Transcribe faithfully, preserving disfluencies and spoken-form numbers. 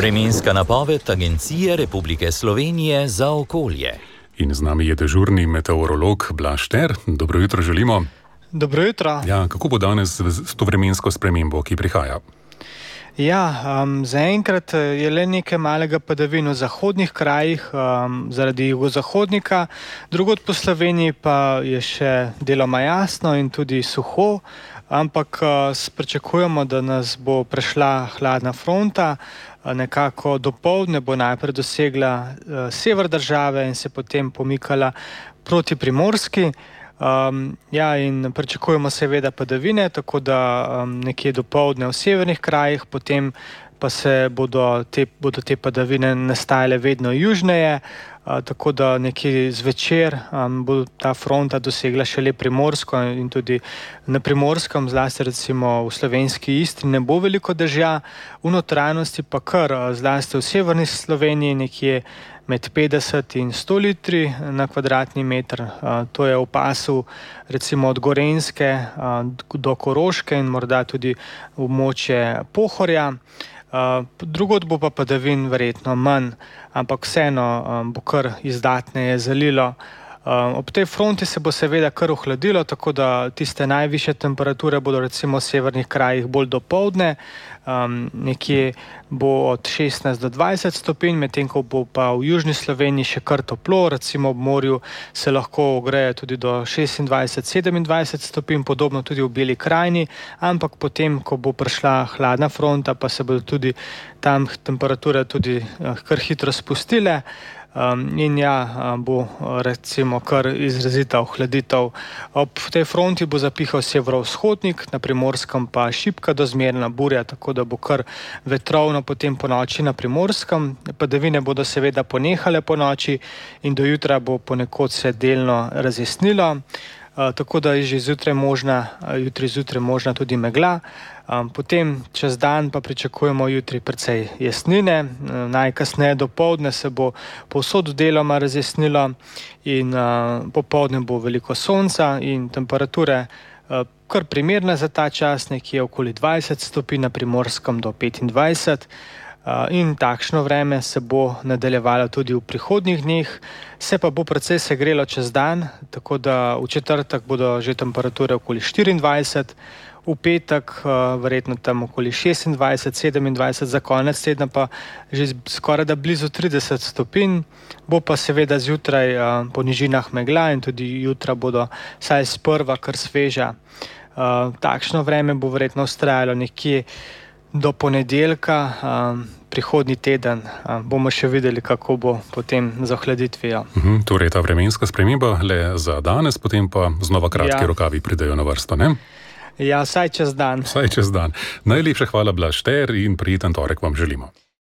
Vremenska napoved Agencije Republike Slovenije za okolje. In z nami je dežurni meteorolog Blaž Šter. Dobro jutro želimo. Dobro jutro. Ja, kako bo danes s to vremensko spremembo, ki prihaja? Ja, um, zaenkrat je le nekaj malega padavin v zahodnih krajih um, zaradi jugozahodnika, drugod po Sloveniji pa je še deloma jasno in tudi suho, ampak uh, pričakujemo, da nas bo prešla hladna fronta, uh, nekako dopoldne bo najprej dosegla uh, sever države in se potem pomikala proti Primorski. Um, ja, in pričakujemo seveda padavine, tako da um, nekje dopoldne v severnih krajih, potem pa se bodo te, bodo te padavine nastajale vedno južneje, uh, tako da nekje zvečer um, bo ta fronta dosegla šele Primorsko in tudi na Primorskem, zlasti recimo v slovenski Istri, ne bo veliko dežja, v notranjosti pa kar, zlasti v severni Sloveniji nekje med petdeset in sto litri na kvadratni meter. To je v pasu recimo od Gorenjske do Koroške in morda tudi območje Pohorja. Drugod bo pa padavin verjetno manj, ampak vseeno bo kar izdatneje zalilo. Ob tej fronti se bo seveda kar ohladilo, tako da tiste najvišje temperature bodo recimo v severnih krajih bolj dopoldne, um, nekje bo od šestnajst do dvajset stopinj, medtem ko bo pa v južni Sloveniji še kar toplo, recimo ob morju se lahko ogreje tudi do šestindvajset do sedemindvajset stopinj, podobno tudi v Beli krajini, ampak potem, ko bo prišla hladna fronta, pa se bodo tudi tam temperature tudi uh, kar hitro spustile. Um, in ja, bo recimo kar izrazita ohladitev. Ob tej fronti bo zapihal severovzhodnik, na Primorskem pa šibka do zmerna burja, tako da bo kar vetrovno potem po noči na Primorskem. Padavine bodo seveda ponehale po noči in do jutra bo ponekod se delno razjasnilo. Uh, tako da je že zjutraj možna, uh, jutri zjutraj možna tudi megla. Um, potem čez dan pa pričakujemo jutri precej jasnine, uh, najkasneje dopoldne se bo povsod deloma razjasnilo in uh, popoldne bo veliko sonca in temperature uh, kar primerne za ta čas, nekje okoli dvajset stopinj, na Primorskem do petindvajset. Uh, in takšno vreme se bo nadaljevalo tudi v prihodnjih dneh, se pa bo precej segrelo čez dan, tako da v četrtek bodo že temperature okoli štiriindvajset, v petek uh, verjetno tam okoli šestindvajset, sedemindvajset, za konec tedna pa že skoraj da blizu trideset stopinj, bo pa seveda zjutraj uh, po nižinah megla in tudi jutra bodo saj sprva kar sveža. Uh, takšno vreme bo verjetno vztrajalo nekje do ponedeljka, um, prihodnji teden. Um, bomo še videli, kako bo potem z ohladitvijo. Uhum, torej ta vremenska sprememba le za danes, potem pa znova kratki ja. rokavi pridejo na vrsto, ne? Ja, vsaj čez dan. Vsaj čez dan. Najlepša hvala, Blaž Šter, in prijeten torek vam želimo.